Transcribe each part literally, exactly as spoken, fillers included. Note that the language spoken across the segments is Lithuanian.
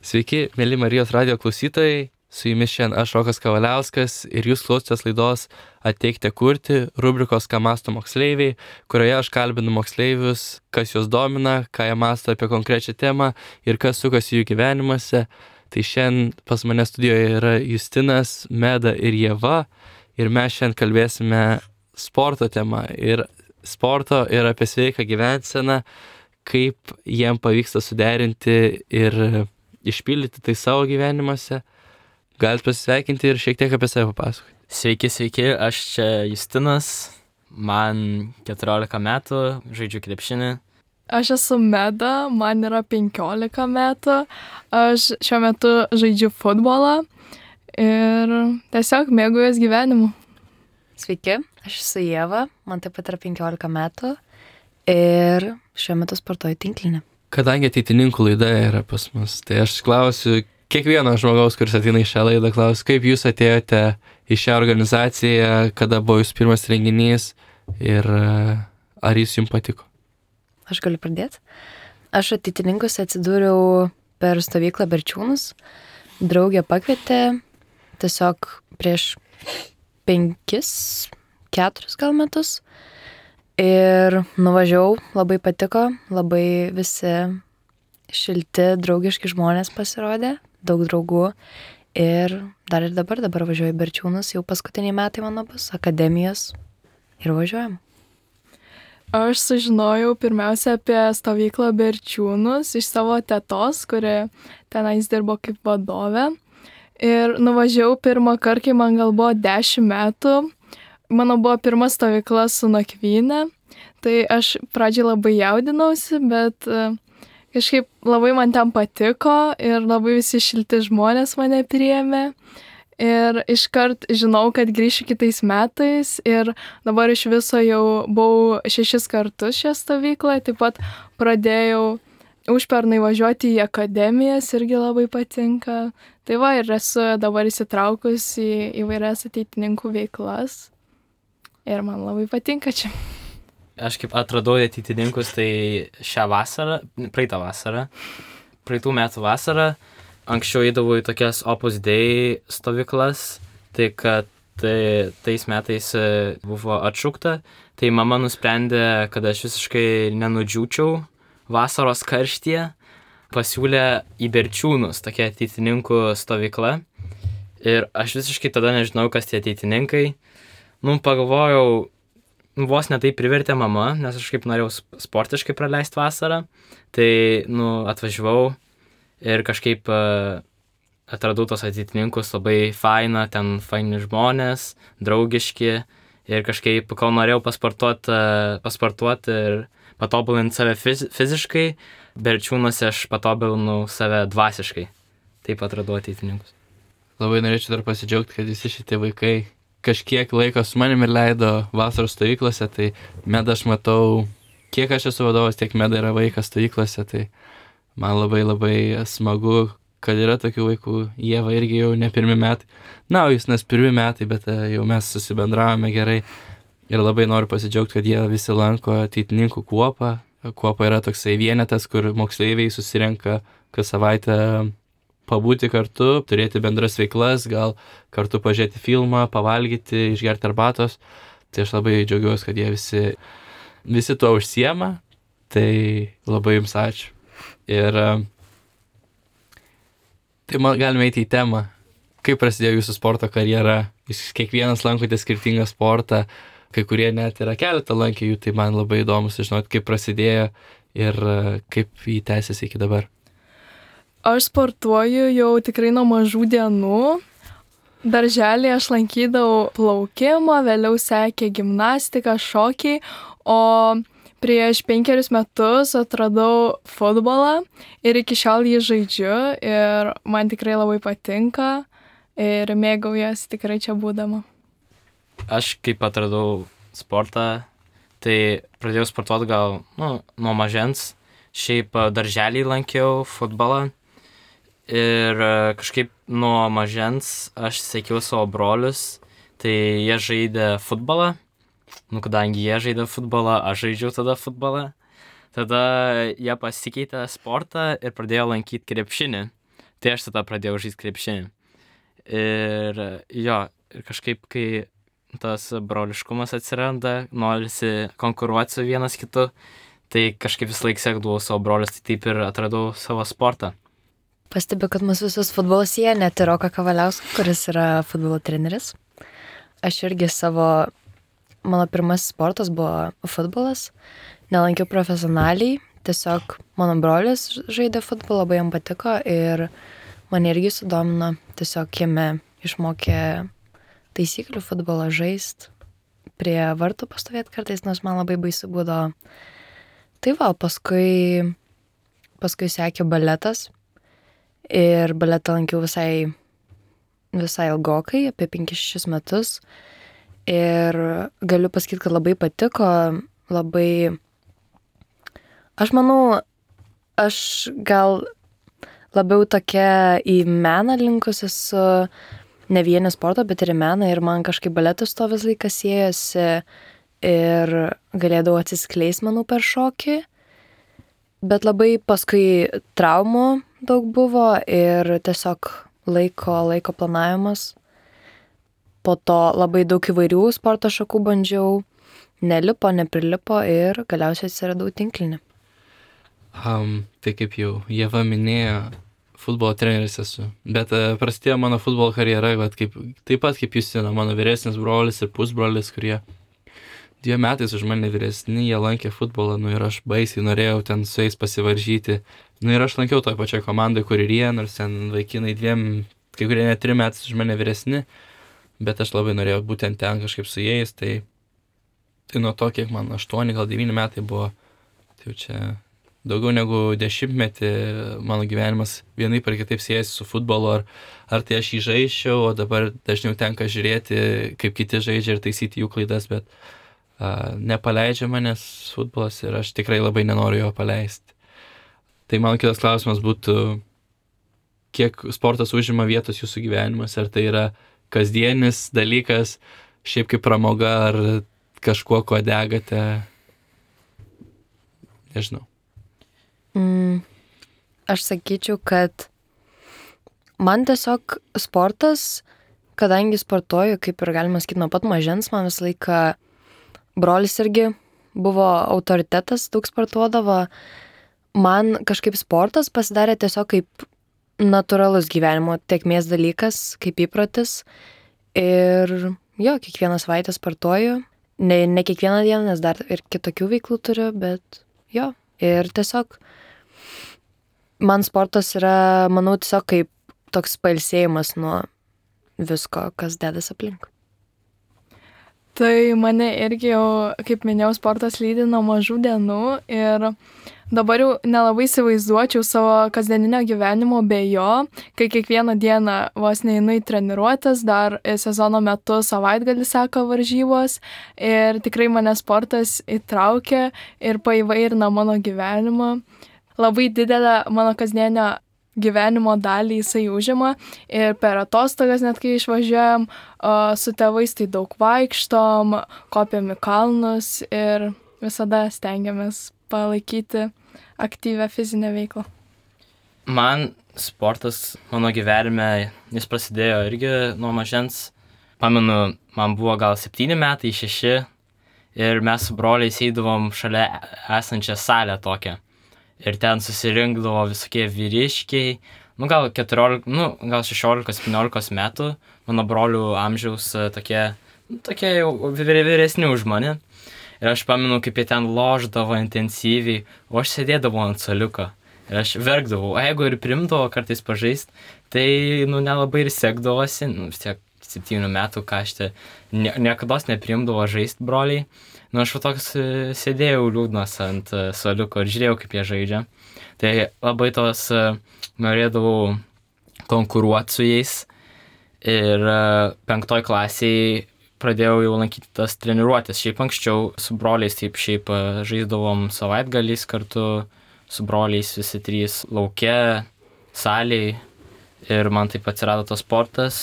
Sveiki, mėly Marijos radijo klausytojai, su jumis šiandien aš Rokas Kavaliauskas ir jūs klausotės laidos Ateikite kurti, rubrikos Ką mąsto moksleiviai, kurioje aš kalbinu moksleivius, kas juos domina, ką jie mąsto apie konkrečią temą ir kas sukasi jų gyvenimuose. Tai šiandien pas mane studijoje yra Justinas, Meda ir Ieva ir mes šiandien kalbėsime sporto temą ir sporto ir apie sveiką gyvenseną, kaip jiem pavyksta suderinti ir išpildyti tai savo gyvenimuose. Galit pasisveikinti ir šiek tiek apie save papasakoti. Sveiki, sveiki, aš čia Justinas, man keturiolika metų, žaidžiu krepšinį. Aš esu Meda, man yra penkiolika metų, aš šiuo metu žaidžiu futbolą ir tiesiog mėgaujuos gyvenimu. Sveiki, aš esu Ieva, man taip pat yra penkiolika metų ir šiuo metu sportuoju tinklinį. Kadangi ateitininkų laida yra pas mus, tai aš klausiu kiekvieno žmogaus, kuris ateina į šią laidą, klausiu, kaip jūs atėjote į šią organizaciją, kada buvo jūsų pirmas renginys ir ar jis jums patiko? Aš galiu pradėti. Aš ateitininkus atsidūriau per stovyklą Berčiūnus. Draugė pakvietė tiesiog prieš penkis, keturis gal metus. Ir nuvažiavau, labai patiko, labai visi šilti, draugiški žmonės pasirodė, daug draugų. Ir dar ir dabar, dabar važiuoju į Berčiūnus, jau paskutiniai metai mano bus, akademijos ir važiuojam. Aš sužinojau pirmiausia apie stovyklą Berčiūnus iš savo tetos, kuri tenais dirbo kaip vadovė. Ir nuvažiavau pirmą kartą, kai man gal buvo dešimt metų. Mano buvo pirma stovykla su nakvyne, tai aš pradžiai labai jaudinausi, bet kažkaip labai man ten patiko ir labai visi šilti žmonės mane priėmė. Ir iškart žinau, kad grįšiu kitais metais ir dabar iš viso jau buvau šešis kartus šią stovyklą, taip pat pradėjau užpernai važiuoti į akademijas, irgi labai patinka. Tai va, ir esu dabar įsitraukus į įvairias ateitininkų veiklas. Ir man labai patinka čia. Aš kaip atradau ateitininkus, tai šią vasarą, praeitą vasarą, praeitų metų vasarą, anksčiau eidavau į tokias Opus Dei stovyklas, tai kad tai, tais metais buvo atšaukta, tai mama nusprendė, kad aš visiškai nenudžiūčiau vasaros karštyje, pasiūlė į Berčiūnus tokia ateitininkų stovykla ir aš visiškai tada nežinau, kas tie ateitininkai. Nu, pagalvojau, vos ne tai privertė mama, nes aš kaip norėjau sportiškai praleisti vasarą, tai, nu, atvažiavau ir kažkaip uh, atradau tos ateitininkus labai faina, ten faini žmonės, draugiški ir kažkaip, kol norėjau pasportuoti uh, pasportuoti ir patobulinti save fiz- fiziškai, Berčiūnuose aš patobulinau save dvasiškai. Taip atradau ateitininkus. Labai norėčiau dar pasidžiaugti, kad visi šitie vaikai kažkiek laiko su manim ir leido vasaros stovyklose, tai Meda aš matau, kiek aš esu vadovas, tiek Meda yra vaikas stovyklose, tai man labai labai smagu, kad yra tokių vaikų. Ieva irgi jau ne pirmi metai. Na, jūs nes pirmi metai, bet jau mes susibendravome gerai ir labai noriu pasidžiaugti, kad jie visi lanko ateitininkų kuopą. Kuopa yra toksai vienetas, kur moksleiviai susirenka kas savaitę pabūti kartu, turėti bendras veiklas, gal kartu pažiūrėti filmą, pavalgyti, išgerti arbatos. Tai aš labai džiaugiuosi, kad jie visi, visi tuo užsiema. Tai labai jums ačiū. Ir tai man galime eiti į temą. Kaip prasidėjo jūsų sporto karjera? Jūs kiekvienas lankote skirtingą sportą, kai kurie net yra keletą lankė jų, tai man labai įdomu sužinoti, kaip prasidėjo ir kaip jį tęsiasi iki dabar. Aš sportuoju jau tikrai nuo mažų dienų. Darželį aš lankydavau plaukimą, vėliau sekė gimnastika, šokiai, o prieš penkerius metus atradau futbolą ir iki šiol jį žaidžiu ir man tikrai labai patinka ir mėgaujuosi tikrai čia būdama. Aš kaip atradau sportą, tai pradėjau sportuoti gal nu, nuo mažens, šiaip darželį lankiau futbolą. Ir kažkaip nuo mažens aš sekiau savo brolius, tai jie žaidė futbolą. Nu, kadangi jie žaidė futbolą, aš žaidžiau tada futbolą. Tada jie pasikeitė sportą ir pradėjo lankyti krepšinį. Tai aš tada pradėjau žaisti krepšinį. Ir jo, ir kažkaip, kai tas broliškumas atsiranda, norisi konkuruoti su vienas kitu, tai kažkaip vis laik sekdavau savo brolius, tai taip ir atradau savo sportą. Pastebiu, kad mūsų visus futbolas jie, net ir Roką Kavaliauską, kuris yra futbolo treneris. Aš irgi savo, mano pirmasis sportas buvo futbolas, nelankiau profesionaliai, tiesiog mano brolis žaidė futbolą, labai jam patiko ir mane irgi sudomino, tiesiog jame išmokė taisyklių futbolą žaist, prie vartų pastovėti kartais, nors man labai baisu būdavo. Tai va, paskui, paskui sekė baletas ir baletą lankiau visai, visai ilgokai, apie penkis šešis metus ir galiu pasakyti, kad labai patiko, labai, aš manau, aš gal labiau tokia į meną linkus esu, ne vien į sportą, bet ir į meną ir man kažkaip baletas to vis laikas siejosi ir galėdavau atsiskleist, manau, per šokį, bet labai paskui traumų daug buvo ir tiesiog laiko, laiko planavimas. Po to labai daug įvairių sporto šakų bandžiau, nelipo, neprilipo ir galiausiai atsiradau tinklinį. Um, tai kaip jau Ieva minėjo, futbolo treneris esu, bet uh, prasidėjo mano futbolo karjera, vat, kaip, taip pat kaip Justina, mano vyresnis brolis ir pusbrolis, kurie dviem metais už mane vyresni, jie lankė futbolą, nu ir aš baisiai norėjau ten su jais pasivaržyti. Nu ir aš lankiau toj pačioj komandai, kur ir jie, nors ten vaikinai dviem, kai kurie net trim metais už mane vyresni, bet aš labai norėjau būtent ten kažkaip su jais, tai, tai nuo to, kiek man aštuoni, gal devyni metai buvo, tai jau čia daugiau negu dešimtmetį mano gyvenimas vienaip ar kitaip siejasi su futbolu, ar, ar tai aš jį žaisčiau, o dabar dažniau tenka žiūrėti, kaip kiti žaidžia ir taisyti jų klaidas, bet uh, nepaleidžia manęs futbolas ir aš tikrai labai nenoriu jo paleisti. Tai mano kitas klausimas būtų, kiek sportas užima vietos jūsų gyvenimas, ar tai yra kasdienis dalykas, šiaip kaip pramoga, ar kažkuo, ko degate, nežinau. Mm, aš sakyčiau, kad man tiesiog sportas, kadangi sportuoju, kaip ir galima sakyti, nuo pat mažens, man visą laiką brolis irgi buvo autoritetas, daug sportuodavo. Man kažkaip sportas pasidarė tiesiog kaip natūralus gyvenimo tėkmės dalykas, kaip įprotis. Ir jo, kiekvieną savaitę sportuoju. Ne, ne kiekvieną dieną, nes dar ir kitokių veiklų turiu, bet jo. Ir tiesiog man sportas yra, manau, tiesiog kaip toks pailsėjimas nuo visko, kas dedas aplink. Tai mane irgi jau, kaip minėjau, sportas lydi nuo mažų dienų ir dabar jau nelabai įsivaizduočiau savo kasdieninio gyvenimo be jo, kai kiekvieną dieną vos neinu į treniruotes, dar sezono metu savaitgalį seka varžybos ir tikrai mane sportas įtraukia ir paįvairina mano gyvenimą. Labai didelę mano kasdienio gyvenimo dalį jisai užima ir per atostogas, net kai išvažiuojam su tėvais, tai daug vaikštom, kopiam į kalnus ir visada stengiamės palaikyti aktyvę fizinę veiklą. Man sportas mano gyvenime, jis prasidėjo irgi nuo mažens. Pamenu, man buvo gal septyni metai, šeši ir mes su broliais eidavom šalia esančią salę tokią. Ir ten susirinkdavo visokie vyriškiai, nu gal keturiolika, nu gal šešiolika septyniolika metų, mano brolių amžiaus tokie, nu, tokie jau vyresni už mane. Ir aš pamenu, kaip jie ten loždavo intensyviai, o aš sėdėdavau ant suoliuko. Ir aš verkdavau, o jeigu ir primdavo kartais pažaist, tai nu nelabai ir sekdavosi, nu vis tiek septynių metų, ką aš te nie, niekados neprimdavo žaist broliai. Nu aš va toks sėdėjau liūdnas ant suoliuko ir žiūrėjau, kaip jie žaidžia. Tai labai tos norėdavau konkuruoti su jais. Ir penktoj klasiai pradėjau jau lankyti tas treniruotės. Šiaip anksčiau su broliais taip šiaip žaisdavom savaitgaliais kartu su broliais visi trys lauke, salėj. Ir man taip atsirado tas sportas.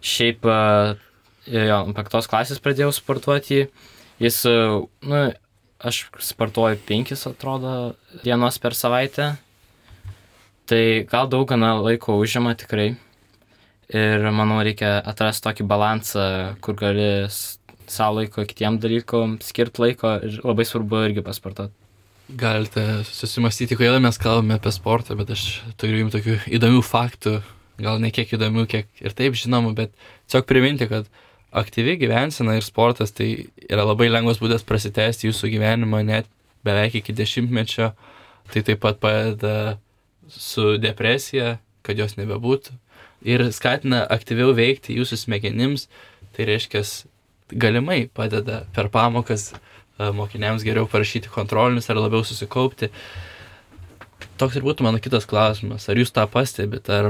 Šiaip jo, penktos klasės pradėjau sportuoti. Jis, nu, aš sportuoju penkis, atrodo, dienos per savaitę. Tai gal daug gana laiko užima tikrai. Ir manau, reikia atrasti tokį balansą, kur gali savo laiko kitiem dalykom, skirti laiko ir labai svarbu irgi pasportuoti. Galite susimastyti, kodėl mes kalbame apie sportą, bet aš turiu jums tokių įdomių faktų, gal ne kiek įdomių, kiek ir taip žinomų, bet tiesiog priminti, kad aktyvi gyvensena ir sportas tai yra labai lengvas būdas prasitęsti jūsų gyvenimą net beveik iki dešimtmečio. Tai taip pat padeda su depresija, kad jos nebebūtų. Ir skatina aktyviau veikti jūsų smegenims, tai reiškia, galimai padeda per pamokas mokiniams geriau parašyti kontrolinius ar labiau susikaupti. Toks ir būtų mano kitas klausimas. Ar jūs tą pastebit? Ar,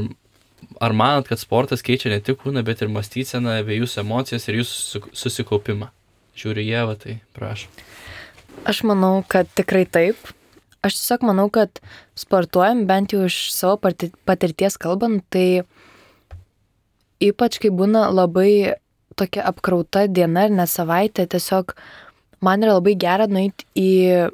ar manot, kad sportas keičia ne tik kūną, bet ir mąstyseną, bei jūsų emocijas ir jūsų susikaupimą? Žiūriu Ievą, tai prašau. Aš manau, kad tikrai taip. Aš tiesiog manau, kad sportuojam, bent jau iš savo patirties kalbant, tai ypač kai būna labai tokia apkrauta diena ir net savaitė, tiesiog man yra labai gera nueiti į,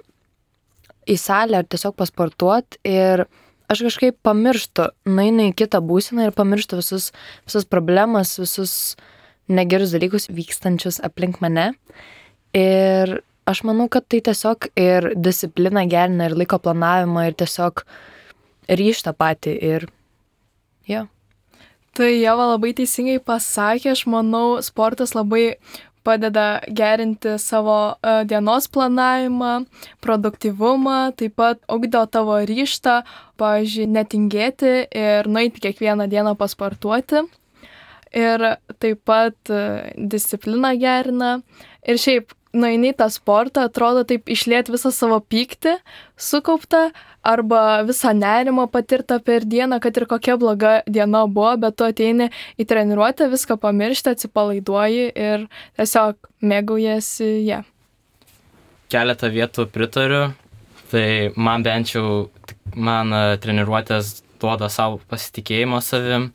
į salę ar tiesiog pasportuoti ir aš kažkaip pamirštu, nueinu į kitą būseną ir pamirštu visus, visus problemas, visus negerus dalykus vykstančius aplink mane. Ir aš manau, kad tai tiesiog ir discipliną gerina ir laiko planavimą ir tiesiog ryžtą patį ir jo. Ja. Tai Ieva labai teisingai pasakė, aš manau, sportas labai padeda gerinti savo uh, dienos planavimą, produktyvumą, taip pat ugdo tavo ryžtą, pavyzdžiui, netingėti ir nueiti kiekvieną dieną pasportuoti. Ir taip pat uh, discipliną gerina. Ir šiaip, nueini į tą sportą, atrodo taip išliet visą savo pyktį sukauptą arba visą nerimą patirtą per dieną, kad ir kokia bloga diena buvo, bet tu ateini į treniruotę, viską pamiršti, atsipalaiduoji ir tiesiog mėgaujasi ją. Yeah. Keletą vietų pritariu, tai man bent jau, man treniruotės duoda savo pasitikėjimo savim,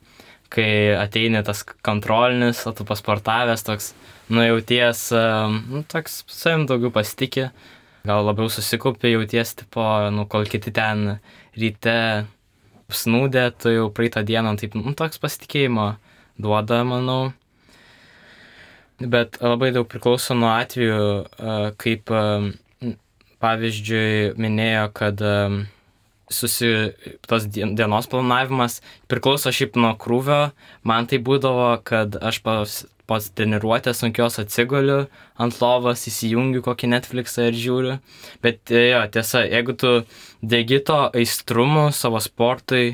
kai ateini tas kontrolinis, o tu pasportavęs toks, nu jauties, nu toks savim daugiau pasitikė, gal labiau susikaupi, jauties, tipo, nu kol kiti ten ryte snūdė, tu jau praeitą dieną, taip, nu toks pasitikėjimo duoda, manau. Bet labai daug priklauso nuo atveju, kaip pavyzdžiui minėjo, kad susi, tos dienos planavimas priklauso šiaip nuo krūvio. Man tai būdavo, kad aš pas, pas treniruotės sunkios atsigoliu ant lovos, įsijungiu kokį Netflixą ir žiūriu. Bet jo, tiesa, jeigu tu degi to aistrumu savo sportui,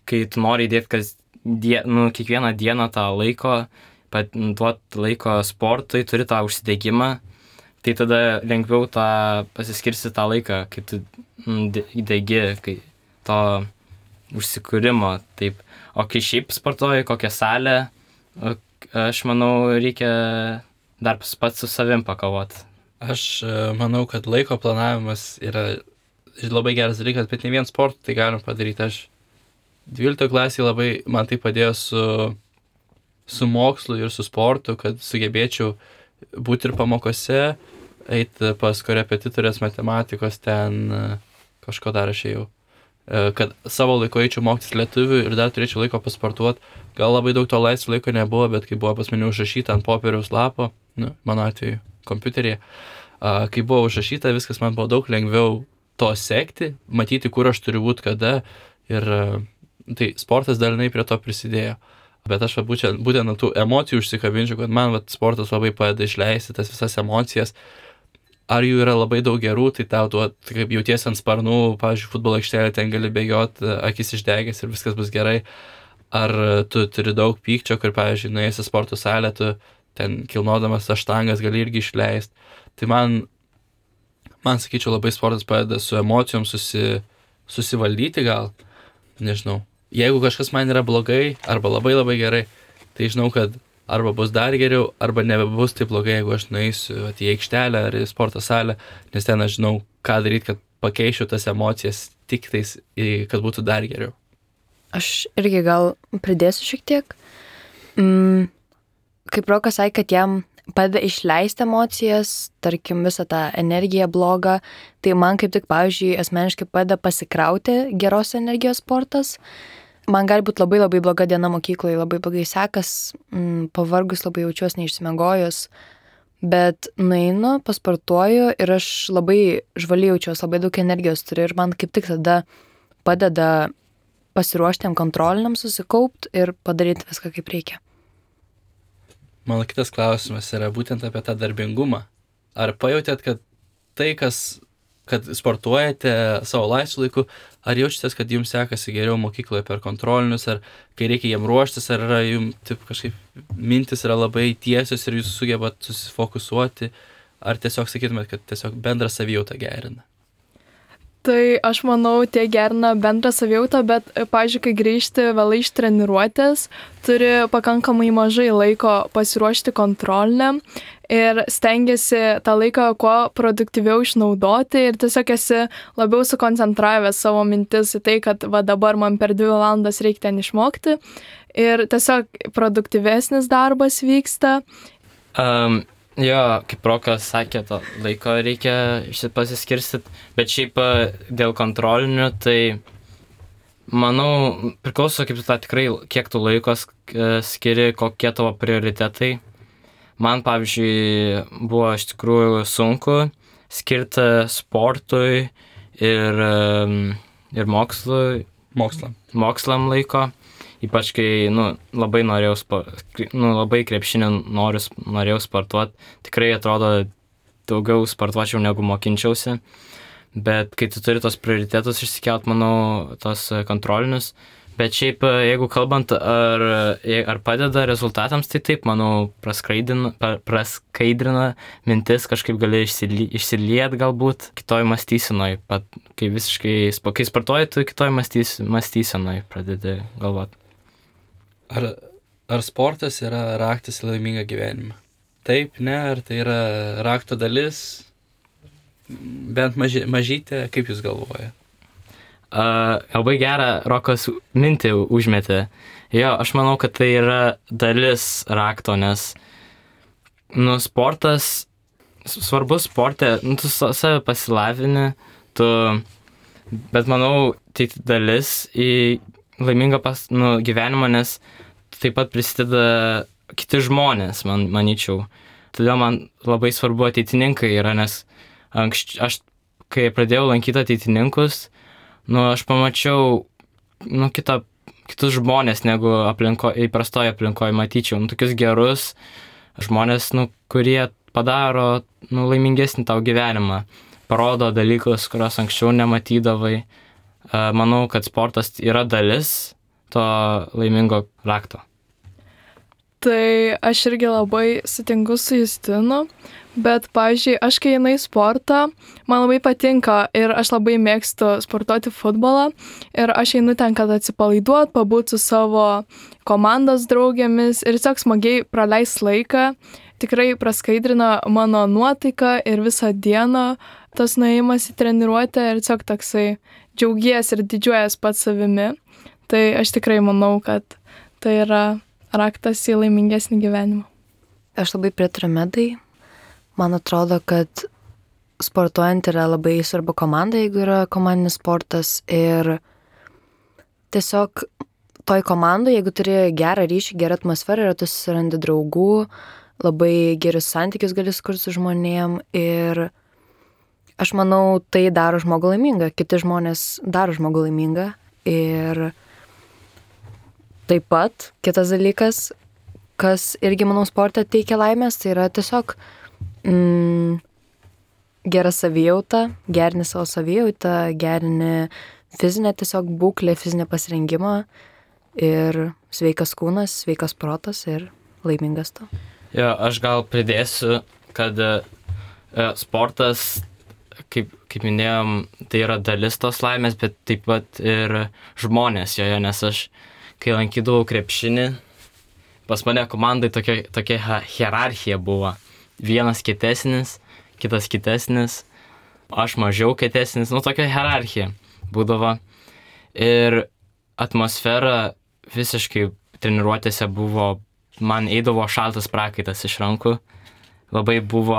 kai tu nori įdėti kas die, nu, kiekvieną dieną tą laiko, pat duoti laiko sportui, turi tą užsidegimą, tai tada lengviau tą pasiskirsti tą laiką, kai tu įdegi, kai to užsikūrimo. Taip. O kai šiaip sportuoji kokią salę, aš manau, reikia dar pats su savim pakovoti. Aš manau, kad laiko planavimas yra labai geras dalykas, bet ne vien sportą tai galim padaryti. Aš dvyliktoje klasėje labai man tai padėjo su, su mokslu ir su sportu, kad sugebėčiau būti ir pamokose, eiti pas korepetitorės matematikos, ten kažko dar aš ėjau. Kad savo laiko eičiau mokytis lietuvių ir dar turėčiau laiko pasportuoti. Gal labai daug to laisvo laiko nebuvo, bet kai buvo pas mane užrašyta ant popieriaus lapo, nu, mano atveju kompiuteryje, kai buvo užrašyta, viskas man buvo daug lengviau to sekti, matyti, kur aš turiu būti kada. Ir tai sportas dalinai prie to prisidėjo. Bet aš va, būtent, būtent nuo tų emocijų užsikabinčiau, kad man va, sportas labai padeda išleisti tas visas emocijas. Ar jų yra labai daug gerų, tai tau duot, kaip jauties ant sparnų, pavyzdžiui, futbolo aikštelė, ten gali bėgioti, akis išdegęs ir viskas bus gerai. Ar tu turi daug pykčio, kur, pavyzdžiui, nuėjęs į sporto salę, tu ten kilnodamas aštangas gali irgi išleisti. Tai man, man sakyčiau, labai sportas padeda su emocijom susi, susivaldyti gal, nežinau. Jeigu kažkas man yra blogai arba labai labai gerai, tai žinau, kad arba bus dar geriau, arba nebebus taip blogai, jeigu aš nueisiu at, į aikštelę ar į sporto salę, nes ten aš žinau, ką daryti, kad pakeičiau tas emocijas tik tais, kad būtų dar geriau. Aš irgi gal pridėsiu šiek tiek. Mm, kaip Rokas sakė, kad jam padeda išleisti emocijas, tarkim visą tą energiją blogą, tai man kaip tik, pavyzdžiui, asmeniškai padeda pasikrauti geros energijos sportas. Man gali būti labai labai bloga diena mokykloje, labai blogai sekas, m, pavargus labai jaučiuosi neišsimiegojus, bet nueinu, pasportuoju ir aš labai žvaliai jaučiuosi, labai daug energijos turiu ir man kaip tik tada padeda pasiruošti tiem kontroliniam, susikaupti ir padaryti viską kaip reikia. Mano kitas klausimas yra būtent apie tą darbingumą. Ar pajautėt, kad tai, kas, kad sportuojate savo laisvu laiku, ar jaučiatės, kad jums sekasi geriau mokykloje per kontrolinius, ar kai reikia jiem ruoštis, ar yra jums taip kažkaip mintis yra labai tiesios ir jūs sugebat susifokusuoti, ar tiesiog sakytumėt, kad tiesiog bendrą savijautą gerina? Tai aš manau, tie gerina bendrą savijautą, bet, pavyzdžiui, kai grįžti vėlai iš treniruotės, turi pakankamai mažai laiko pasiruošti kontroliniam ir stengiasi tą laiką kuo produktyviau išnaudoti ir tiesiog esi labiau sukoncentravęs savo mintis į tai, kad va dabar man per dvi valandas reikia ten išmokti ir tiesiog produktyvesnis darbas vyksta. Um, jo, kaip Rokas sakė, to laiko reikia pasiskirstyti, bet šiaip dėl kontrolinių, tai manau, priklauso kaip tu tą tikrai, kiek tu laiko skiri, kokie tavo prioritetai. Man, pavyzdžiui, buvo iš tikrųjų sunku skirti sportui ir, ir mokslui, Mokslam. mokslam laiko. Ypač kai, nu, labai norėjau, nu, labai krepšinį noriu, norėjau sportuoti. Tikrai atrodo, daugiau sportuočiau negu mokinčiausi. Bet kai tu turi tos prioritetus išsikelt, manau, tos kontrolinius. Bet šiaip, jeigu kalbant, ar, ar padeda rezultatams, tai taip, manau, praskaidrina, praskaidrina mintis, kažkaip gali išsiliet galbūt kitoj mąstysenoj. Pat, kai visiškai, kai sportuoji, tu kitoj mąstys, mąstysenoj pradedi galvoti. Ar, ar sportas yra raktas į laimingą gyvenimą? Taip, ne, ar tai yra rakto dalis? Bent maži, mažytė, kaip jūs galvojate? Uh, labai gerą Rokas mintį užmetė. Jo, aš manau, kad tai yra dalis rakto, nes nu, sportas, svarbus sporte, nu, tu save pasilavini, tu, bet manau, tai dalis į laimingą pas, nu, gyvenimą, nes taip pat prisideda kiti žmonės, man, manyčiau. Todėl man labai svarbu ateitininkai yra, nes anksč, aš, kai pradėjau lankyti ateitininkus, nu, aš pamačiau nu, kitą, kitus žmonės, negu aplinko, įprastoje aplinkoje matyčiau. Nu, tokius gerus žmonės, nu, kurie padaro nu, laimingesnį tau gyvenimą. Parodo dalykus, kuriuos anksčiau nematydavai. Manau, kad sportas yra dalis to laimingo rakto. Tai aš irgi labai sutinku su Justinu, bet, pavyzdžiui, aš kai einu į sportą, man labai patinka ir aš labai mėgstu sportuoti futbolą ir aš einu ten, kad atsipalaiduot, pabūt su savo komandos draugėmis ir tiesiog smagiai praleis laiką. Tikrai praskaidrina mano nuotaiką ir visą dieną tas nuėjimas į treniruotę ir tiesiog toksai džiaugies ir didžiuojas pats savimi. Tai aš tikrai manau, kad tai yra raktas į laimingesnį gyvenimą. Aš labai pritariu Medai. Man atrodo, kad sportuojant yra labai svarbu komanda, jeigu yra komandinis sportas. Ir tiesiog toj komandai, jeigu turi gerą ryšį, gerą atmosferą, ir tu susirandi draugų, labai gerus santykius gali skurti su žmonėm. Ir aš manau, tai daro žmogų laimingą. Kiti žmonės daro žmogų laimingą. Ir taip pat kitas dalykas, kas irgi, manau, sporte teikia laimės, tai yra tiesiog mm, gera savijauta, gerini savo savijautą, gerini fizinę tiesiog būklę, fizinę pasirengimą ir sveikas kūnas, sveikas protas ir laimingas tu. Jo, aš gal pridėsiu, kad e, sportas, kaip, kaip minėjom, tai yra dalis tos laimės, bet taip pat ir žmonės joje, nes aš kai lankydavau krepšinį, pas mane komandai tokia, tokia hierarchija buvo. Vienas kietesnis, kitas kitesnis, aš mažiau kietesnis, nu tokia hierarchija būdavo. Ir atmosfera visiškai treniruotėse buvo, man eidavo šaltas prakaitas iš rankų, labai buvo,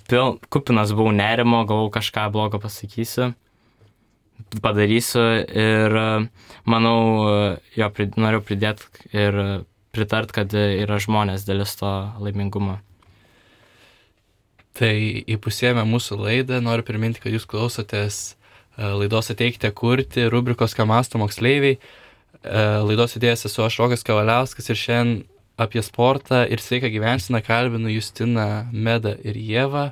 pil, kupinas buvau nerimo, galvau kažką blogo pasakysiu, padarysiu ir manau, jo, prid, noriu pridėti ir pritart, kad yra žmonės dalis to laimingumo. Tai įpusėjame mūsų laidą, noriu priminti, kad jūs klausotės laidos Ateikite kurti, rubrikos Ką mąsto moksleiviai. Laidos idėjas esu aš Rokas Kavaliauskas ir šiandien apie sportą ir sveiką gyvenseną kalbinu Justiną, Medą ir Ievą.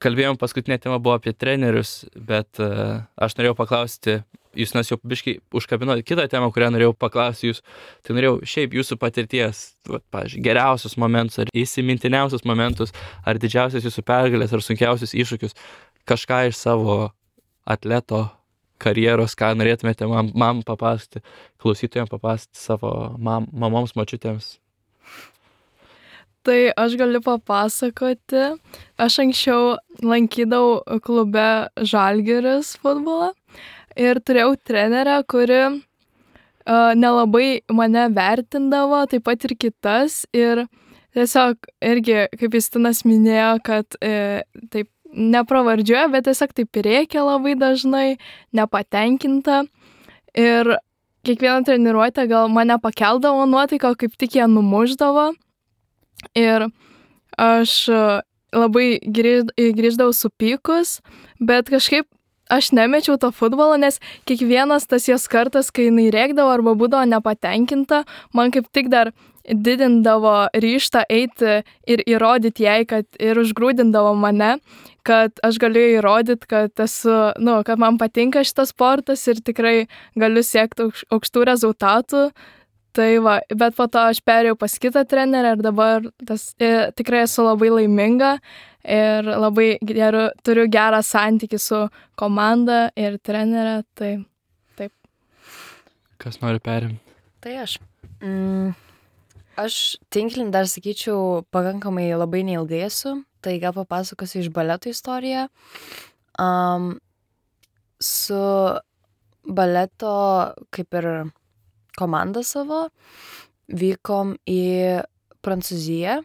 Kalbėjom, paskutinė tema buvo apie trenerius, bet uh, aš norėjau paklausti, Justinas jau biškai užkabino kitą temą, kurią norėjau paklausti jūs. Tai norėjau šiaip jūsų patirties, va, pavyzdžiui, geriausius momentus ar įsimintiniausius momentus, ar didžiausias jūsų pergalės, ar sunkiausius iššūkius, kažką iš savo atleto karjeros, ką norėtumėte mam, mam papasakoti, klausytojams papasakoti savo mam, mamoms, močiutėms. Tai aš galiu papasakoti. Aš anksčiau lankydavau klube Žalgiris futbolą ir turėjau trenerę, kuri uh, nelabai mane vertindavo, taip pat ir kitas. Ir tiesiog irgi, kaip Justinas minėjo, kad uh, taip nepravardžiuoja, bet tiesiog taip rėkia labai dažnai, nepatenkinta. Ir kiekvieną treniruotę gal mane pakeldavo nuotaiką, kaip tik ją numuždavo. Ir aš labai grįždavau supykus, bet kažkaip aš nemečiau to futbolo, nes kiekvienas tas jos kartas, kai jinai rėkdavo arba būdavo nepatenkinta, man kaip tik dar didindavo ryžtą eiti ir įrodyti jai, kad ir užgrūdindavo mane, kad aš galiu įrodyti, kad esu, nu, kad man patinka šitas sportas ir tikrai galiu siekti aukštų rezultatų. Tai va, bet po to aš perėjau pas kitą trenerę ir dabar tas, e, tikrai esu labai laiminga ir labai geru, turiu gerą santykį su komanda ir trenerė, tai taip. Kas nori perimti? Tai aš. Mm, aš tinklin dar sakyčiau pakankamai labai neilgai esu, tai gal papasakosiu iš baleto istoriją. Um, su baleto kaip ir komanda savo vykom į Prancūziją,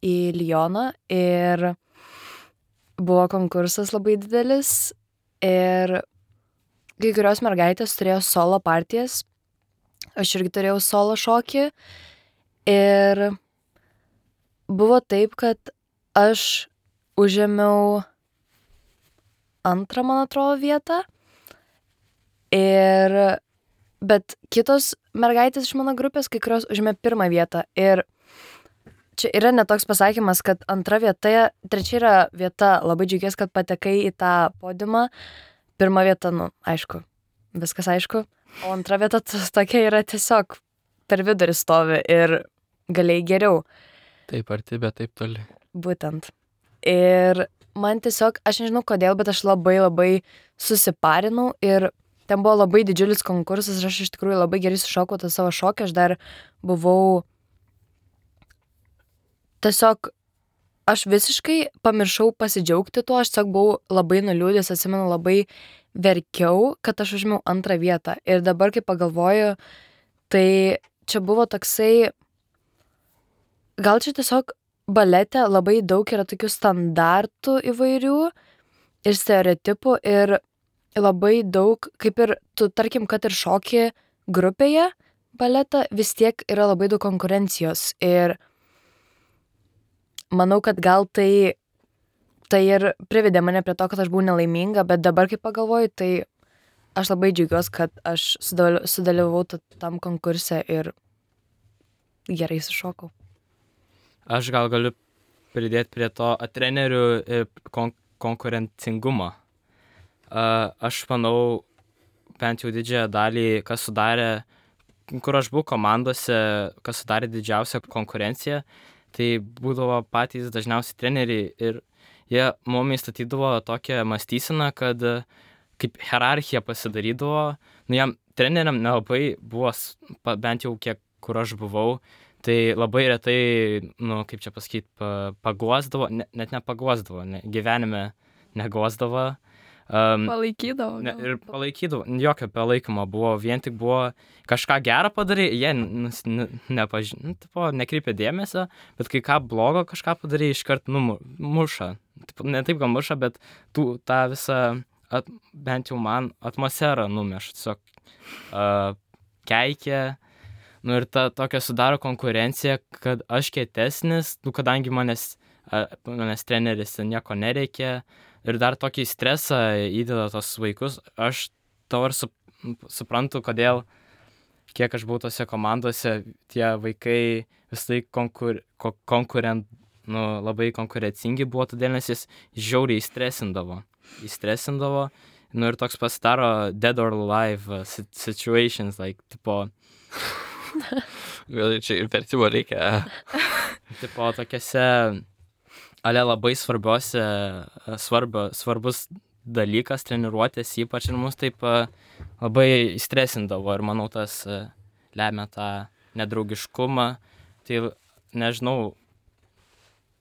į Lyoną ir buvo konkursas labai didelis ir kai kurios mergaitės turėjo solo partijas, aš irgi turėjau solo šokį ir buvo taip, kad aš užėmiau antrą, man atrodo, vietą ir bet kitos mergaitės iš mano grupės, kai kurios užėmė pirmą vietą. Ir čia yra netoks pasakymas, kad antra vieta, trečia yra vieta, labai džiaugiuosi, kad patekai į tą podiumą. Pirma vieta, nu, aišku, viskas aišku. O antra vieta tokia yra tiesiog per vidurį stovi ir galėjai geriau. Taip arti, bet taip toli. Būtent. Ir man tiesiog, aš nežinau kodėl, bet aš labai labai susiparinau ir ten buvo labai didžiulis konkursas ir aš iš tikrųjų labai gerai sušokau tą savo šokį. Aš dar buvau tiesiog, aš visiškai pamiršau pasidžiaugti tuo, aš tiesiog buvau labai nuliūdęs, atsimenu, labai verkiau, kad aš užėmiau antrą vietą. Ir dabar, kai pagalvoju, tai čia buvo toksai, gal čia tiesiog balete labai daug yra tokių standartų įvairių ir stereotipų ir labai daug, kaip ir tu, tarkim, kad ir šoki grupėje baletą, vis tiek yra labai daug konkurencijos ir manau, kad gal tai, tai ir privedė mane prie to, kad aš buvau nelaiminga, bet dabar, kai pagalvoju, tai aš labai džiaugiuosi, kad aš sudalyvavau tam konkurse ir gerai sušokau. Aš gal galiu pridėti prie to trenerių kon- konkurencingumo. Uh, aš manau, bent jau didžiąją dalį, kas sudarė, kur aš buvau komandose, kas sudarė didžiausią konkurenciją, tai būdavo patys dažniausiai treneriai ir jie mumis statydavo tokią mąstyseną, kad kaip hierarchija pasidarydavo, nu jam treneriam nelabai buvo, bent jau kiek kur aš buvau, tai labai retai, nu kaip čia pasakyti, paguosdavo, ne, net nepaguosdavo, ne, gyvenime neguosdavo. Um, Palaikydavo. ne, gal. ir palaikydavo, jokio palaikymo buvo, vien tik buvo kažką gerą padarė, jie nus- ne, nepaž... nu, tipo, nekreipia dėmesio, bet kai ką blogo kažką padarė, iškart numu, muša. Tipo, ne taip gal muša, bet tų, tą visą, at, bent jau man, atmosferą numeša, tiesiog uh, keikia. Nu ir ta tokia sudaro konkurencija, kad aš kietesnis, nu kadangi manęs, a, manęs treneris nieko nereikia ir dar tokį stresą įdeda tos vaikus, aš dabar sup, suprantu, kodėl, kiek aš buvau tose komandose, tie vaikai visai konkur, ko, konkurent, nu, labai konkurencingi buvo, todėl nes jis žiauriai stresindavo. Įstresindavo, nu ir toks pasidaro dead or alive uh, situations, like, tipo, Gal čia ir vertimo reikia. tipo tokiose, ale labai svarbiose, svarbio, svarbus dalykas, treniruotės, ypač ir mus taip a, labai stresindavo ir manau tas a, lemia tą nedraugiškumą. Tai nežinau,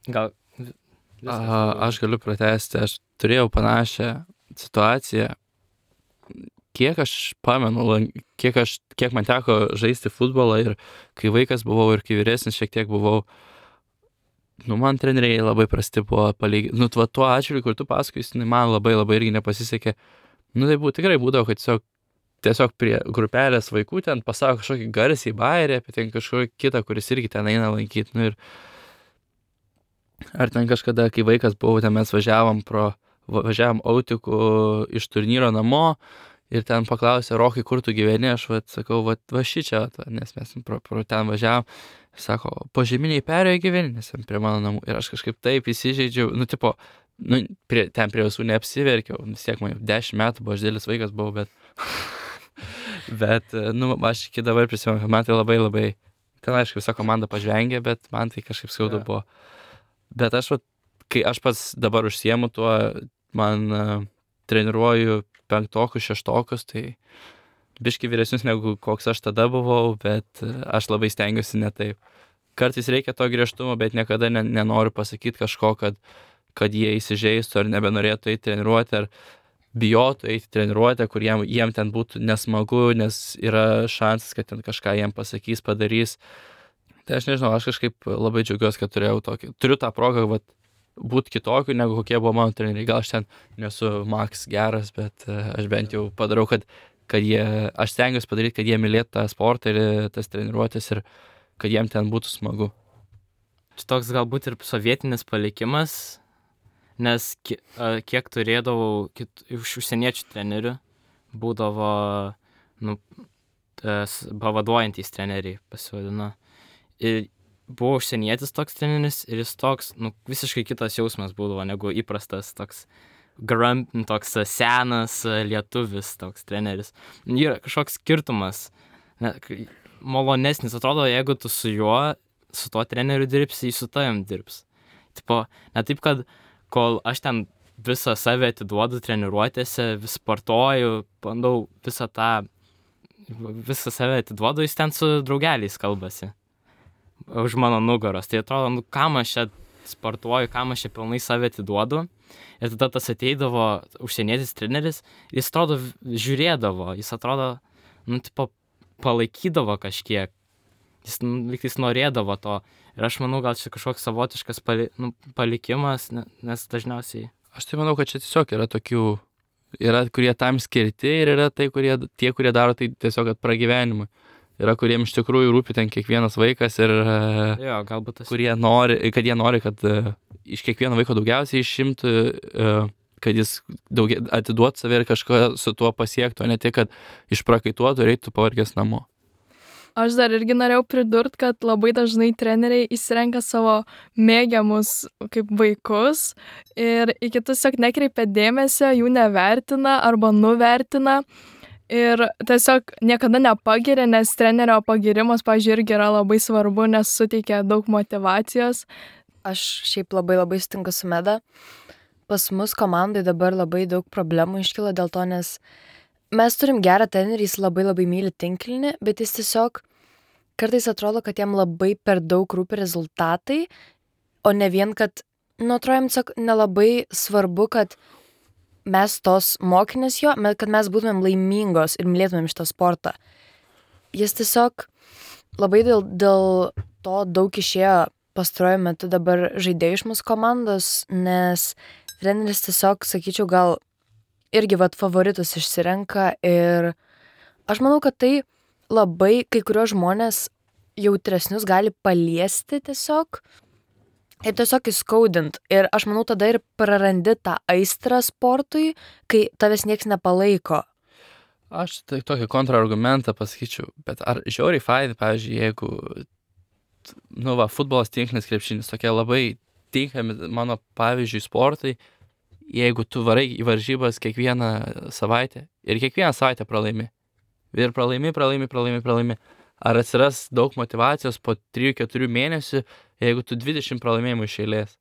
gal... vi- viskas A, daugiau. aš galiu pratęsti, aš turėjau panašią situaciją. Kiek aš pamenu, lan- kiek, aš, kiek man teko žaisti futbolą ir kai vaikas buvau ir kai vyresnis šiek tiek buvau, nu, man treneriai labai prasti buvo palyginti. Nu, tuo, tuo atžvilgiu, kur tu pasakoji, tai man labai labai irgi nepasisekė. Nu, tai buvo, tikrai būdavo, kad tiesiog, tiesiog prie grupelės vaikų ten pasako kažkokį garsiai bairį apie ten kažkokį kitą, kuris irgi ten eina lankyti. Nu, ir ar ten kažkada, kai vaikas buvau, ten mes važiavom pro, va- važiavom autikų iš turnyro namo ir ten paklausė, Rokai, kur tu gyveni, aš vat, sakau, vat, va šičia, vat, nes mes pro, pro ten važiavom. Sako, požeminiai perėjo gyveni, nes ten prie mano namų. Ir aš kažkaip taip įsižeidžiau, nu, tipo, nu, prie, ten prie visų neapsiverkiau, vis tiek man jau dešimt metų buvo, aš didelis vaikas buvau, bet, bet, nu, aš iki dabar prisimenu, kad man tai labai labai, ten aišku, visa komanda pažvengė, bet man tai kažkaip skaudu Jo. buvo. Bet aš, vat, kai aš pats dabar užsiemu tuo, man uh, treniruoju penktokus, šeštokus, tai biški vyresnius negu koks aš tada buvau, bet uh, aš labai stengiuosi ne taip. Kartais reikia to griežtumo, bet niekada ne, nenoriu pasakyti kažko, kad, kad jie įsižeistų ar nebenorėtų eiti treniruoti, ar bijotų eiti treniruotę, kur jiem, jiem ten būtų nesmagu, nes yra šansas, kad ten kažką jiem pasakys, padarys. Tai aš nežinau, aš kažkaip labai džiaugiuosi, kad turėjau tokį, turiu tą progą, vat, būti kitokiu, negu kokie buvo mano treneriai. Gal aš ten nesu Max geras, bet uh, aš bent jau padarau, kad, kad jie, aš stengiuosi padaryti, kad jie mylėtų tą sportą ir tas treniruotės ir kad jiem ten būtų smagu. Čia toks galbūt ir sovietinis palikimas, nes ki- a, kiek turėdavau kit, iš užsieniečių trenerių, būdavo, nu, tas pavaduojantys treneriai pasivadino. Ir buvo užsienietis toks treneris ir jis toks, nu, visiškai kitas jausmas būdavo negu įprastas toks grump, toks senas lietuvis toks treneris. Yra kažkoks skirtumas, ne, kai- malonesnis, atrodo, jeigu tu su juo, su tuo treneriu dirbsi, jis su tavim dirbs. Tipo, ne taip, kad kol aš ten visą save atiduodu treniruotėse, vis sportuoju, bandau visą tą, visą save atiduodu, jis ten su draugeliais kalbasi už mano nugaros. Tai atrodo, nu, kam aš čia sportuoju, kam aš čia pilnai save atiduodu. Ir tada tas ateidavo užsienietis treneris, jis atrodo v- žiūrėdavo, jis atrodo, nu, tipo, palaikydavo kažkiek. Jis, nu, lyg tais norėdavo to. Ir aš manau, gal čia kažkoks savotiškas pali, nu, palikimas, ne- nes dažniausiai... Aš tai manau, kad čia tiesiog yra tokių, yra, kurie tam skirti ir yra tai, kurie, tie, kurie daro tai tiesiog kad pragyvenimui. Yra, kuriem iš tikrųjų rūpi ten kiekvienas vaikas ir uh, Jo, galbūt tas... kurie nori, kad jie nori, kad uh, iš kiekvieno vaiko daugiausiai išimtų, uh, kad jis daugia, atiduotų save ir kažką su tuo pasiektų, o ne tik, kad išprakaituotų ir eitų pavargęs namo. Aš dar irgi norėjau pridurti, kad labai dažnai treneriai įsirenka savo mėgiamus kaip vaikus ir į kitus tiesiog nekreipia dėmesio, jų nevertina arba nuvertina ir tiesiog niekada nepagiria, nes trenerio pagirimas, pavyzdžiui, irgi yra labai svarbu, nes suteikia daug motyvacijos. Aš šiaip labai labai sutinku su Meda. Pas mus komandai dabar labai daug problemų iškilo dėl to, nes mes turim gerą trenerį, jis labai labai myli tinklinį, bet jis tiesiog kartais atrodo, kad jam labai per daug rūpi rezultatai, o ne vien, kad, nu, atrodo, jam tiesiog nelabai svarbu, kad mes tos mokinės jo, me- kad mes būtumėm laimingos ir mylėtumėm šitą sportą. Jis tiesiog labai dėl, dėl to daug išėjo pastaruoju metu dabar žaidėjų iš mūsų komandos, nes treneris tiesiog, sakyčiau, gal irgi vat favoritus išsirenka ir aš manau, kad tai labai kai kurios žmonės jautresnius gali paliesti tiesiog ir tiesiog įskaudint. Ir aš manau, tada ir prarandi tą aistrą sportui, kai tavęs nieks nepalaiko. Aš tai tokį kontrargumentą pasakyčiau, bet ar žiauriai fainai, pavyzdžiui, jeigu, nu va, futbolas, tinklinis, krepšinis, tokie labai tinkami mano pavyzdžiui sportai, jeigu tu varai į varžybas kiekvieną savaitę ir kiekvieną savaitę pralaimi. Ir pralaimi, pralaimi, pralaimi, pralaimi. Ar atsiras daug motyvacijos po trijų keturių mėnesių, jeigu tu dvidešimt pralaimėjimų iš eilės?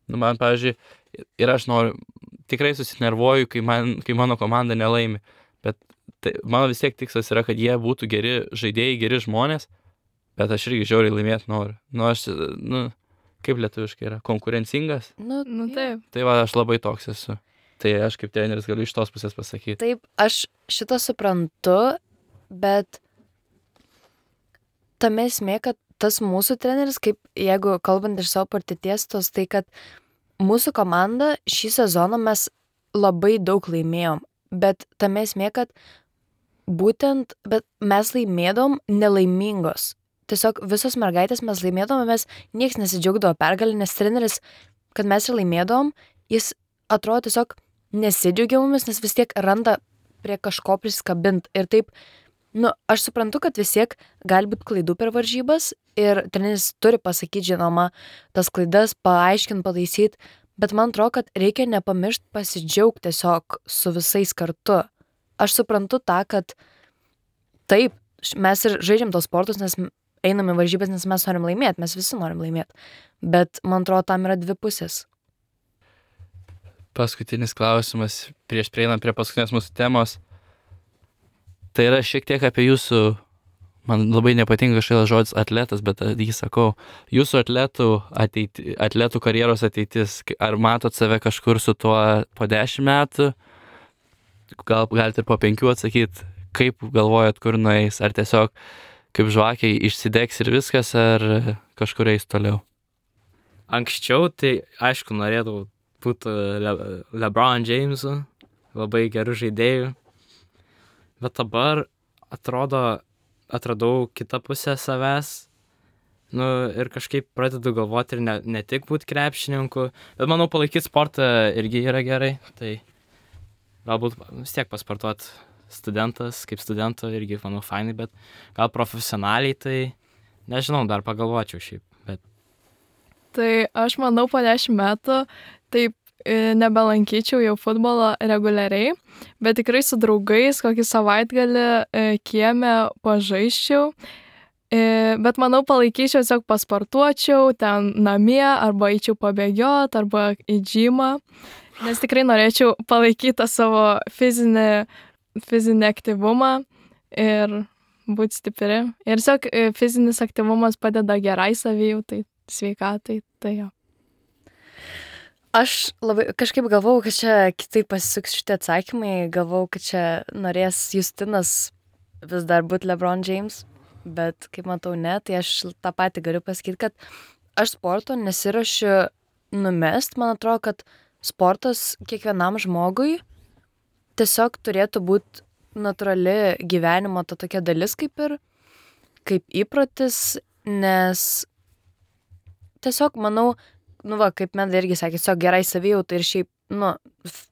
Nu, man, pavyzdžiui, ir aš noriu, tikrai susinervuoju, kai, man, kai mano komanda nelaimi, bet tai, mano vis tiek tikslas yra, kad jie būtų geri žaidėjai, geri žmonės, bet aš irgi žiauriai laimėti noriu. Nu, aš, nu, kaip lietuviškai yra, konkurencingas, Nu, Nu taip. tai va, aš labai toks esu. Tai aš kaip treneris galiu iš tos pusės pasakyti. Taip, aš šitą suprantu, bet tame esmė, kad tas mūsų treneris, kaip jeigu kalbant iš savo patirties, tos tai, kad mūsų komanda šį sezoną mes labai daug laimėjom, bet tame esmė, kad būtent, bet mes laimėdom nelaimingos. Tiesiog visos mergaitės mes laimėdom, mes nieks nesidžiaugdavo pergalį, nes treneris, kad mes ir laimėdom, jis atrodo tiesiog nesidžiaugia mumis, nes vis tiek randa prie kažko prisikabint. Ir taip, nu, aš suprantu, kad vis tiek gali būti klaidų per varžybas ir treneris turi pasakyti, žinoma, tas klaidas, paaiškinti, pataisyti, bet man atrodo, kad reikia nepamiršti pasidžiaugti tiesiog su visais kartu. Aš suprantu tą, kad taip, mes ir žaidžiam tos sportus, nes einam į varžybas, nes mes norim laimėti, mes visi norim laimėti, bet man atrodo, tam yra dvi pusės. Paskutinis klausimas, prieš prieinant prie paskutinės mūsų temos. Tai yra šiek tiek apie jūsų, man labai nepatinka šitas žodis atletas, bet jį sakau, jūsų atletų, ateiti, atletų karjeros ateitis. Ar matot save kažkur su tuo po dešimt metų? Gal galite ir po penkių atsakyti, kaip galvojat, kur nueis? Ar tiesiog kaip žvakiai išsidegs ir viskas, ar kažkur eis toliau? Anksčiau tai, aišku, norėdavau būti Le LeBron Jamesu, labai gerų žaidėjų. Bet dabar atrodo, atradau kitą pusę savęs. Nu, ir kažkaip pradedu galvoti ir ne, ne tik būti krepšininku, bet manau palaikyti sportą irgi yra gerai. Tai galbūt vis tiek pasportuoti studentas, kaip studento irgi, manau, fainai, bet gal profesionaliai, tai nežinau, dar pagalvočiau šiaip. Bet Tai aš manau, po dešimt metų taip e, nebelankyčiau jau futbolo reguliariai, bet tikrai su draugais kokį savaitgalį e, kieme pažaisčiau. E, bet manau, palaikyčiau, tiesiog pasportuočiau ten namie, arba eičiau pabėgiot, arba į džymą, nes tikrai norėčiau palaikyti tą savo fizinį, fizinį aktyvumą ir būti stipri. Ir tiesiog e, fizinis aktyvumas padeda gerai savijautai, sveikatai, tai jo. Aš labai kažkaip galvau, kad čia kitaip pasisuks šitie atsakymai, galvau, kad čia norės Justinas vis dar būti LeBron James, bet kaip matau ne, tai aš tą patį galiu pasakyti, kad aš sporto nesiruošiu numest, man atrodo, kad sportas kiekvienam žmogui tiesiog turėtų būti natūrali gyvenimo ta tokia dalis kaip ir, kaip įprotis, nes tiesiog manau, nu va, kaip Meda irgi sakė, tiesiog gerai savijautai ir šiaip, nu, f-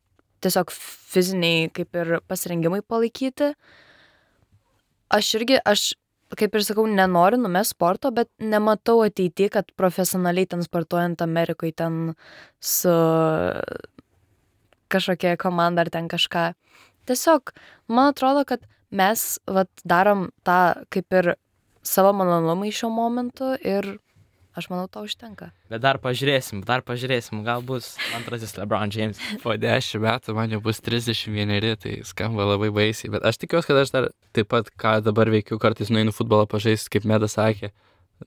tiesiog fiziniai kaip ir pasirengimai palaikyti. Aš irgi, aš, kaip ir sakau, nenoriu numest sporto, bet nematau ateity, kad profesionaliai ten sportuojant Amerikoje ten su kažkokia komanda ar ten kažką. Tiesiog, man atrodo, kad mes vat, darom tą kaip ir savo malonumą šiuo momentu ir aš manau, to užtenka. Bet dar pažiūrėsim, dar pažiūrėsim, gal bus antrasis LeBron James. Po dešimt metų man jau bus trisdešimt vieneri, tai skamba labai baisiai. Bet aš tikiuosi, kad aš dar taip pat, ką dabar veikiu, kartais nueinu futbolą pažaisti, kaip Meda sakė.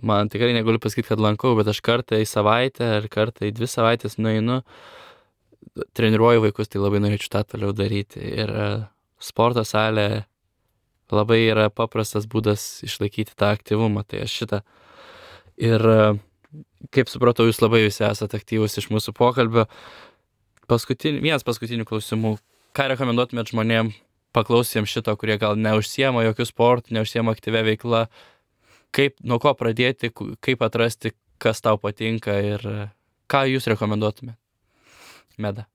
Man tikrai negaliu pasakyti, kad lankau, bet aš kartą į savaitę ar kartą į dvi savaitės nueinu. treniruoju vaikus, tai labai norėčiau tą toliau daryti. Ir e, sporto salė labai yra paprastas būdas išlaikyti tą aktyvumą, tai aš šitą. Ir e, kaip supratau, jūs labai visi esate aktyvus iš mūsų pokalbio. Paskutinį, vienas paskutinių klausimų. Ką rekomenduotumėt žmonėm paklausėm šito, kurie gal neužsiema jokių sportų, neužsiema aktyvia veikla? Kaip, nuo ko pradėti, kaip atrasti, kas tau patinka ir ką jūs rekomenduotumėt? Meda.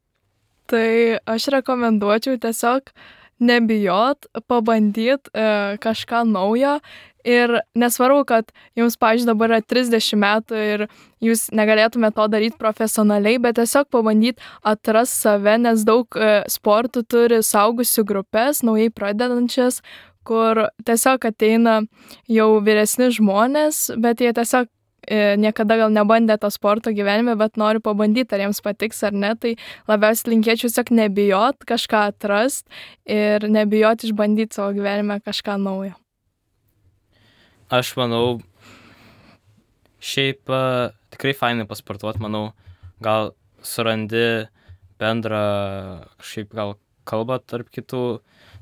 Tai aš rekomenduočiau tiesiog nebijot, pabandyt e, kažką naujo ir nesvarbu, kad jums, pavyzdžiui, dabar yra trisdešimt metų ir jūs negalėtumėte to daryti profesionaliai, bet tiesiog pabandyt atras save, nes daug e, sportų turi saugusių grupės, naujai pradedančias, kur tiesiog ateina jau vyresni žmonės, bet jie tiesiog e, niekada gal nebandė to sporto gyvenime, bet nori pabandyti, ar jiems patiks ar ne, tai labiausiai linkėčiau tiesiog nebijot kažką atrast ir nebijot išbandyti savo gyvenime kažką naujo. Aš manau, šiaip uh, tikrai fainai pasportuot, manau, gal surandi bendrą šiaip gal kalbą tarp kitų.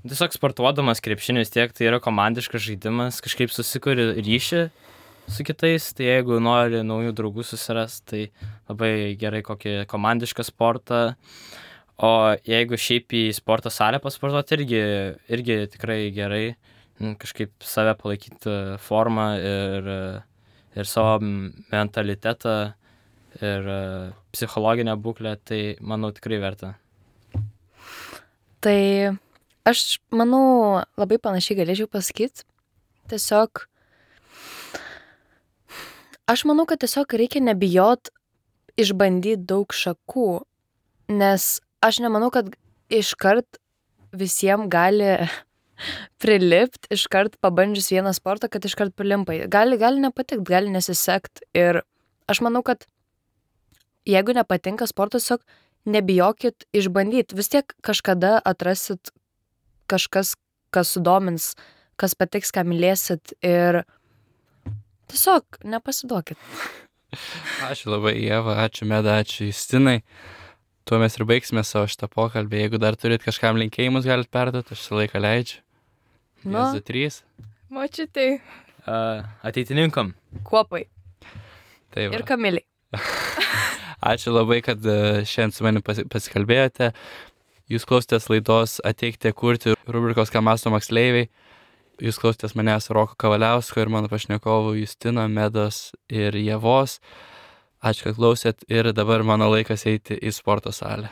Tiesiog sportuodamas krepšinį vis tiek, tai yra komandiškas žaidimas, kažkaip susikuri ryšį su kitais, tai jeigu nori naujų draugų susirast, tai labai gerai kokį komandišką sportą. O jeigu šiaip į sporto salę pasportuoti, irgi, irgi tikrai gerai kažkaip save palaikyti formą ir, ir savo mentalitetą ir psichologinę būklę, tai manau tikrai verta. Tai aš manau labai panašiai galėčiau pasakyti. Tiesiog, aš manau, kad tiesiog reikia nebijot išbandyti daug šakų, nes aš nemanau, kad iškart visiems gali prilipt, iškart pabandžius vieną sportą, kad iškart prilimpai. Gali, gali nepatikt, gali nesisekt. Ir aš manau, kad jeigu nepatinka sportas, tiesiog nebijokit išbandyti. Vis tiek kažkada atrasit kažkas, kas sudomins, kas patiks, ką mylėsit ir tiesiog nepasiduokit. Ačiū labai, Ieva, ačiū Meda, ačiū Justinai. Tuo mes ir baigsime savo šitą pokalbį. Jeigu dar turit kažkam linkėjimus, galit perduoti, aš šį laiką leidžiu. Nu. Vienas, du, trys. Močiutei. Uh, ateitininkam. Kuopai. Tai va. Ir Kamiliai. Ačiū labai, kad e, šiandien su manim pasi- pasikalbėjote. Jūs klausėtės laidos Ateikite kurti rubrikos Ką mąsto moksleiviai. Jūs klausėtės manęs Roko Kavaliausko ir mano pašnekovų Justino, Medos ir Ievos. Ačiū, kad klausėt ir dabar mano laikas eiti į sporto salę.